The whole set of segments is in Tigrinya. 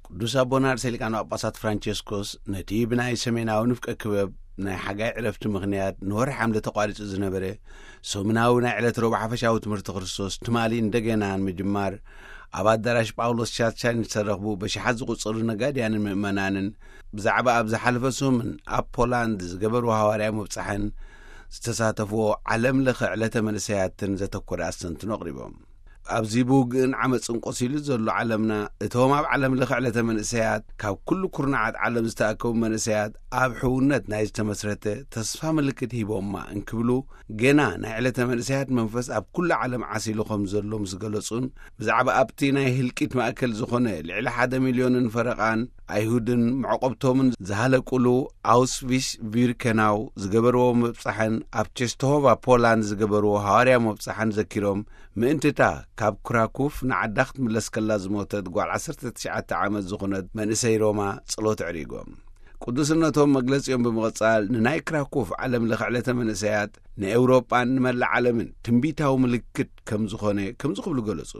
ቅዱስ ኣቦና ርእሰ ሊቃነ ጳጳሳት ፍራንቸስኮስ ነቲ ብናይ ሰሜናዊ ንፍቀ ክበብ ናይ ሓጋይ ዕረፍቲ ምኽንያት ንወርሒ ሓምለ ተቋሪጹ ዝነበረ ሰሙናዊ ናይ ዕለት ረቡዕ ሓፈሻዊ ትምህርቲ ክርስቶስ ትማሊ እንደገና ንምጅማር፣ ኣብ ኣዳራሽ ጳውሎስ ቻቻን ዝተረኽቡ በሽሓት ዝቑጸሩ ነጋድያንን ምእመናንን ብዛዕባ ኣብ ዝሓለፈ ሰሙን ኣብ ፖላንድ ዝገበርዎ ሃዋርያዊ ምብጻሕን ዝተሳተፍዎ ዓለም ለኸ ዕለተ መንእሰያትን ዘተኮረ ኣስተንትኖ ኣቕሪቦም። ኣብዚ ብውግእን ዓመጽን ቆሲሉ ዘሎ ዓለምና፣ እቶም ኣብ ዓለም ለኸ ዕለተ መንእሰያት ካብ ኩሉ ኩርናዓት ዓለም ዝተኣከቡ መንእሰያት ኣብ ሕውነት ናይ ዝተመስረተ ተስፋ ምልክት ሂቦማ እንክብሉ፣ ገና ናይ ዕለተ መንእሰያት መንፈስ ኣብ ኩሉ ዓለም ዓሲሉ ከም ዘሎ ምስ ገለጹን፣ ብዛዕባ ኣብቲ ናይ ህልቂት ማእከል ዝኾነ ልዕሊ ሓደ ሚልዮንን ፈረቓን ኣይሁድን መዕቆብቶምን ዝሃለቁሉ ኣውስቪሽ ቪርከናው ዝገበርዎ ምብጻሕን ኣብ ቸስተሆቫ ፖላንድ ዝገበርዎ ሃዋርያዊ ምብጻሕን ዘኪሮም፣ ምእንትታ ካብ ክራኩፍ ንዓዳ ክትምለስ ከላ ዝሞተት ጓል ዓሰርተ ትሽዓተ ዓመት ዝኾነት መንእሰይ ሮማ ጸሎት ኣዕሪጎም። ቅዱስነቶም መግለጺኦም ብምቕጻል፣ ንናይ ክራኩፍ ዓለም ለኸ ዕለተ መንእሰያት ንኤውሮጳን ንመላእ ዓለምን ትንቢታዊ ምልክት ከም ዝኾነ ከምዚ ክብሉ ገለጹ።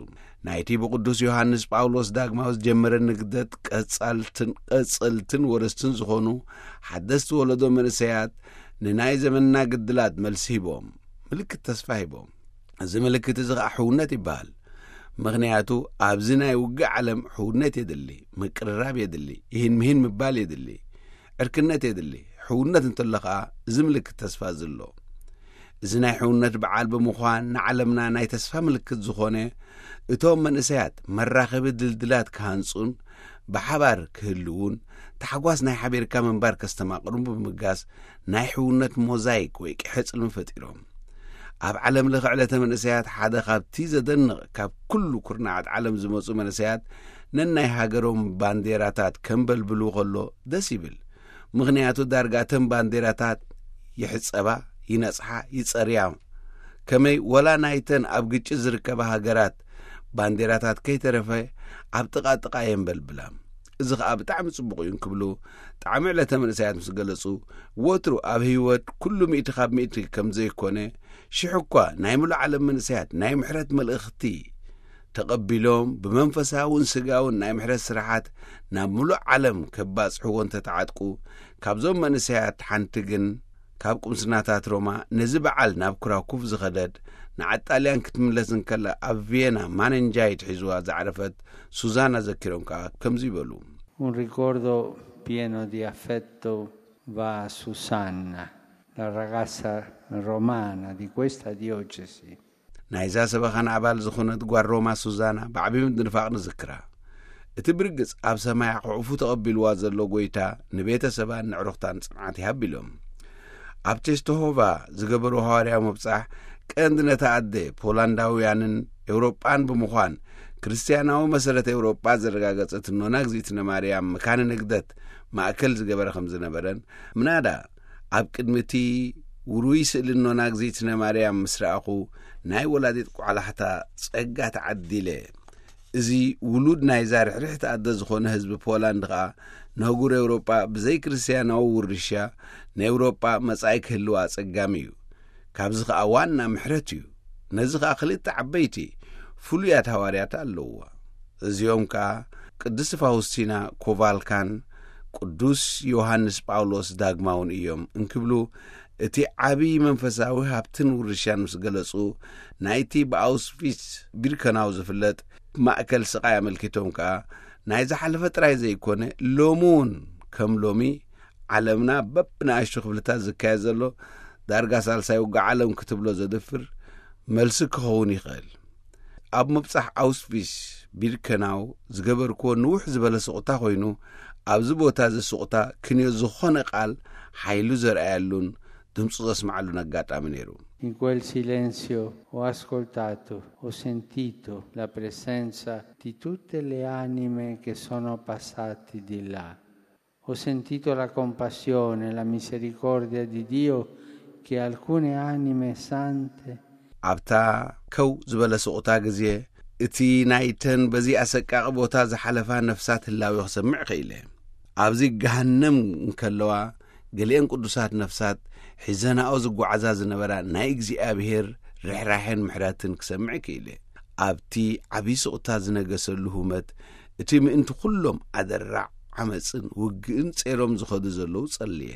ናይቲ ብቅዱስ ዮሃንስ ጳውሎስ ዳግማዊ ዝጀመረ ንግደት ቀጻልትን፣ ቀጸልትን ወረስትን ዝኾኑ ሓደስቲ ወለዶ መንእሰያት ንናይ ዘመንና ግድላት መልሲ ሂቦም፣ ምልክት ተስፋ ሂቦም። እዚ ምልክት እዚ ኸኣ ሕውነት ይበሃል። ምኽንያቱ ኣብዚ ናይ ውግእ ዓለም ሕውነት የድሊ፣ ምቅርራብ የድሊ፣ ይህን ምሂን ምባል የድሊ፣ ዕርክነት የድሊ። ሕውነት እንተሎ ኸኣ እዚ ምልክት ተስፋ እዚ ኣሎ። እዚ ናይ ሕውነት በዓል ብምዃን ንዓለምና ናይ ተስፋ ምልክት ዝኾነ፣ እቶም መንእሰያት መራኸቢ ድልድላት ክሃንጹን ብሓባር ክህልዉን፣ ታሕጓስ ናይ ሓቢርካ ምንባር ከስተማቕሩን ብምብጋስ ናይ ሕውነት ሞዛይክ ወይ ቅሐ ጽልሚ ፈጢሮም። ኣብ ዓለም ለኸ ዕለተ መንእሰያት ሓደ ካብቲ ዘደንቕ፣ ካብ ኩሉ ኩርናዓት ዓለም ዝመጹ መንእሰያት ነናይ ሃገሮም ባንዴራታት ከንበልብሉ ከሎ ደስ ይብል። ምኽንያቱ ዳርጋ እተን ባንዴራታት ይሕጸባ፣ ይነጽሓ፣ ይጸርያ። ከመይ ወላ ናይተን ኣብ ግጭት ዝርከባ ሃገራት ባንዴራታት ከይተረፈ ኣብ ጥቓ ጥቓ የንበልብላ። እዚ ኸኣ ብጣዕሚ ጽቡቕ እዩ እንክብሉ ጣዕሚ ዕለተ መንእሰያት ምስ ገለጹ፣ ወትሩ ኣብ ህይወት ኩሉ ሚእቲ ካብ ሚእቲ ከም ዘይኮነ፣ ሽሕ እኳ ናይ ምሉእ ዓለም መንእሰያት ናይ ምሕረት መልእኽቲ ተቐቢሎም ብመንፈሳውን ስጋውን ናይ ምሕረት ስራሓት ናብ ምሉእ ዓለም ከባጽሕዎ እንተተዓጥቁ፣ ካብዞም መንእሰያት ሓንቲ ግን ካብ ቁምስናታት ሮማ ነዚ በዓል ናብ ክራኩፍ ዝኸደት፣ ንዓጣልያን ክትምለስ እንከላ ኣብ ቪየና ማነንጃይት ሒዝዋ ዝዓረፈት ሱዛና ዘኪሮም ከኣ ከምዚ ይበሉ። Un ricordo pieno di affetto va a Susanna, la ragazza romana di questa diocesi. ናይዛ ሰበኻና ኣባል ዝኾነት ጓል ሮማ ሱዛና ብዓቢ ምድንፋቕ ንዝክራ። እቲ ብርግጽ ኣብ ሰማይ ኣቑሑፉ ተቐቢልዋ ዘሎ ጎይታ ንቤተሰባን ንዕሩኽታን ጽንዓት ይሃብ ኢሎም። ኣብ ቸስተሆቫ ዝገበርዎ ሃዋርያዊ ምብጻሕ ቀንዲ ነታ ኣደ ፖላንዳውያንን ኤውሮጳን ብምዃን ክርስትያናዊ መሰረት ኤውሮጳ ዘረጋገጸት እኖና እግዚኣብእነ ማርያም መካነ ንግደት ማእከል ዝገበረ ከም ዝነበረን፣ ምናዳ ኣብ ቅድሚ እቲ ውሩይ ስእሊ እኖና እግዚኣብእነ ማርያም ምስ ረኣኹ ናይ ወላዲት ቆላሕታ ጸጋ ተዓዲለ። እዚ ውሉድ ናይዛ ርሕርሕቲ ኣደ ዝኾነ ህዝቢ ፖላንድ ኸኣ ነህጉር ኤውሮጳ ብዘይ ክርስትያናዊ ውርሻ ንኤውሮጳ መጻኢ ክህልዋ ኣጸጋሚ እዩ። ካብዚ ኸኣ ዋና ምሕረት እዩ። ነዚ ኸኣ ክልተ ዓበይቲ ፍሉያት ሃዋርያት ኣለውዋ። እዚኦም ከኣ ቅድስቲ ፋውስቲና ኮቫልካን ቅዱስ ዮሃንስ ጳውሎስ ዳግማውን እዮም እንክብሉ እቲ ዓቢ መንፈሳዊ ሃብትን ውርሻን ምስ ገለጹ፣ ናይቲ ብኣውስቪትስ ቢርከናው ዝፍለጥ ማእከል ስቓይ ኣመልኪቶም ከኣ፣ ናይ ዝሓለፈ ጥራይ ዘይኮነ፣ ሎሚ እውን ከም ሎሚ ዓለምና በብንኣሽቱ ክፍልታት ዝካየድ ዘሎ ዳርጋ ሳልሳይ ውግእ ዓለም ክትብሎ ዘድፍር መልሲ ክኸውን ይኽእል። ኣብ ምብጻሕ ኣውስቪስ ቢርከናው ዝገበርክዎ ንውሕ ዝበለ ስቕታ ኮይኑ፣ ኣብዚ ቦታ እዚ ስቕታ ክንዮ ዝኾነ ቃል ሓይሉ ዘርኣየሉን ድምፁ ዘስምዓሉን ኣጋጣሚ ነይሩ። In quel silenzio ho ascoltato, ho sentito la presenza di tutte le anime che sono passate di là. Ho sentito la compassione, la misericordia di Dio che alcune anime sante ኣብታ ከው ዝበለ ስቑታ ግዜ፣ እቲ ናይተን በዚ ኣሰቃቒ ቦታ ዝሓለፋ ነፍሳት ህላዌ ክሰምዕ ክኢለ። ኣብዚ ገሃነም እንከለዋ፣ ገሊአን ቅዱሳት ነፍሳት ሒዘናኦ ዝጓዓዛ ዝነበራ ናይ እግዚኣብሔር ርሕራሕን ምሕረትን ክሰምዕ ክኢለ። ኣብቲ ዓብዪ ስቑታ ዝነገሰሉ ሁመት፣ እቲ ምእንቲ ኩሎም ኣደራዕ ዓመፅን ውግእን ጸይሮም ዝኸዱ ዘለዉ ጸልየ።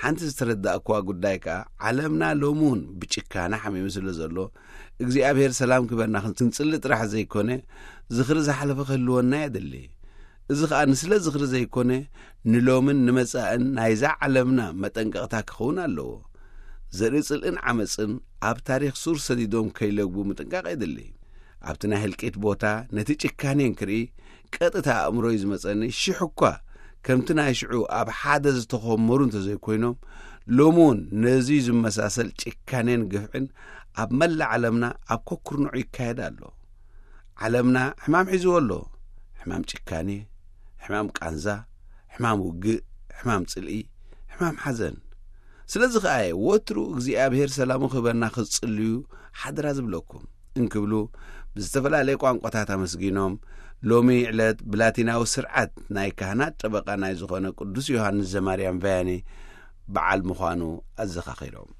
ሓንቲ ዝተረዳእኩዋ ጉዳይ ከኣ፣ ዓለምና ሎሚ እውን ብጭካነ ሓሚሙ ስለ ዘሎ፣ እግዚኣብሔር ሰላም ክበና ክንጽሊ ጥራሕ ዘይኮነ፣ ዝኽሪ ዝሓለፈ ክህልወና የድሊ። እዚ ኸኣ ንስለ ዝኽሪ ዘይኮነ፣ ንሎምን ንመጻእን ናይዛ ዓለምና መጠንቀቕታ ክኸውን ኣለዎ። ዘርኢ ጽልእን ዓመጽን ኣብ ታሪኽ ሱር ሰዲዶም ከይለግቡ ምጥንቃቕ የድሊ። ኣብቲ ናይ ህልቂት ቦታ ነቲ ጭካኔን ክርኢ፣ ቀጥታ ኣእምሮይ ዝመጸኒ፣ ሽሕ እኳ ከምቲ ናይ ሽዑ ኣብ ሓደ ዝተኾመሩ እንተዘይኮይኖም፣ ሎሚ እውን ነዚ ዝመሳሰል ጭካኔን ግፍዕን ኣብ መላእ ዓለምና ኣብ ኮኩርንዑ ይካየድ ኣሎ። ዓለምና ሕማም ሒዝዎ ኣሎ። ሕማም ጭካኔ፣ ሕማም ቃንዛ፣ ሕማም ውግእ፣ ሕማም ጽልኢ፣ ሕማም ሓዘን። ስለዚ ኸኣ እየ ወትሩ እግዚኣብሔር ሰላሙ ክህበና ክትጽልዩ ሓደራ ዝብለኩም፣ እንክብሉ ብዝተፈላለየ ቋንቋታት ኣመስጊኖም፣ ሎሚ ዕለት ብላቲናዊ ስርዓት ናይ ካህናት ጠበቃ ናይ ዝኾነ ቅዱስ ዮሃንስ ዘማርያም ቫያኒ በዓል ምዃኑ ኣዘኻኺሮም።